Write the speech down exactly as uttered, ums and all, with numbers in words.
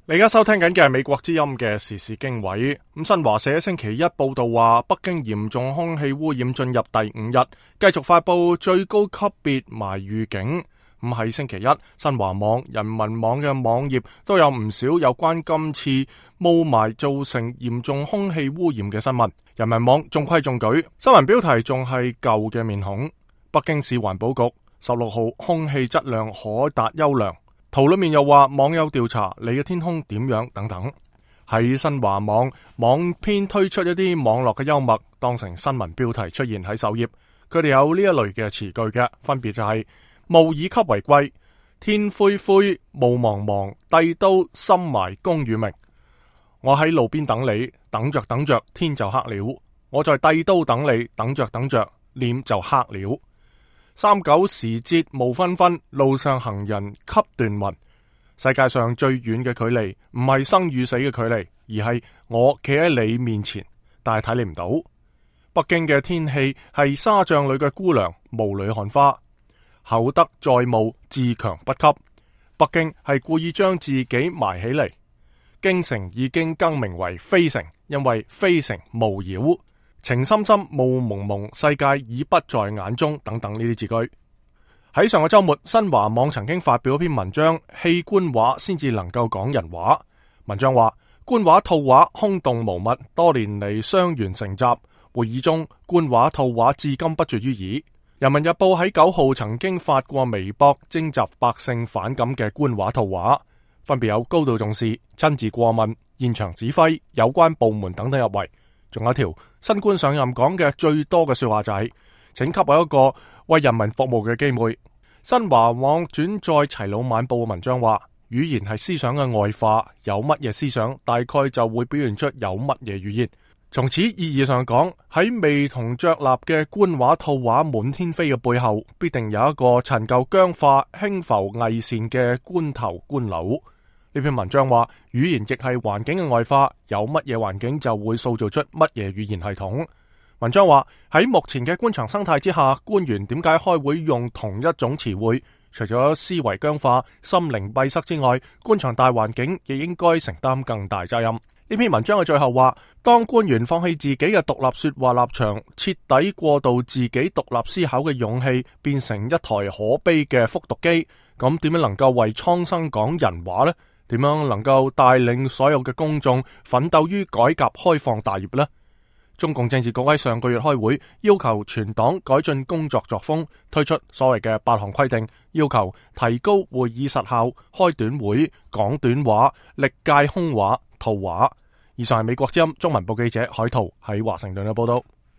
你而家收聽緊嘅係美國之音嘅時事經緯。咁新華社星期一報道話，北京嚴重空氣污染進入第五日，繼續發佈最高級別霾預警。咁喺星期一，新華網、人民網嘅網頁都有唔少有關今次霧霾造成嚴重空氣污染嘅新聞。人民網中規中矩，新聞標題仲係舊嘅面孔。北京市環保局十六號空氣質量可達優良。圖裏面又話網友調查你嘅天空點樣等等。喺新華網網編推出一啲網絡嘅幽默，當成新聞標題出現喺首頁。佢哋有呢一類嘅詞句嘅，分別就係霧以級為貴，天灰灰，霧茫茫，帝都深埋功與名。我喺路邊等你，等着等着天就黑了。我在帝都等你，等着等着臉就黑了。三九時節霧紛紛，路上行人給斷雲。世界上最遠嘅距離唔係生與死嘅距離，而係我企喺你面前，但係睇你唔到。北京嘅天氣係沙帳裏嘅姑娘，霧裏看花。厚德載物，自強不息。北京係故意將自己埋起嚟。京城已經更名為非城，因為非城霧繞。情深深，霧蒙蒙，世界已不在眼中，等等呢啲字句。喺上個周末，新華網曾經發表一篇文章，棄官話先至能夠講人話。文章話官話套話空洞無物，多年嚟雙元成習。會議中官話套話至今不絕於耳。人民日報喺九號曾經發過微博徵集百姓反感嘅官話套話，分別有高度重視、親自過問、現場指揮、有關部門等等入圍。仲有一條新官上任講嘅最多嘅說話就係、是，請給我一個為人民服務嘅機會。新華網轉載齊魯晚報嘅文章話，語言係思想嘅外化，有乜嘢思想，大概就會表現出有乜嘢語言。從此意義上講，喺未同着立嘅官話套話滿天飛嘅背後，必定有一個陳舊僵化、輕浮偽善嘅官頭官佬。呢篇文章話，語言亦係環境嘅外化，有乜嘢環境就會塑造出乜嘢語言系統。文章話喺目前嘅官場生態之下，官員點解開會用同一種詞彙？除咗思維僵化、心靈閉塞之外，官場大環境亦應該承擔更大責任。呢篇文章嘅最後話，當官員放棄自己嘅獨立說話立場，徹底過渡自己獨立思考嘅勇氣，變成一台可悲嘅復讀機，咁點樣能夠為蒼生講人話呢？點樣能夠帶領所有嘅公眾奮鬥於改革開放大業呢？中共政治局喺上個月開會，要求全黨改進工作作風，推出所謂嘅八項規定，要求提高會議實效，開短會，講短話，歷屆空話、套話。以上係美國之音中文部記者海濤喺華盛頓嘅報道。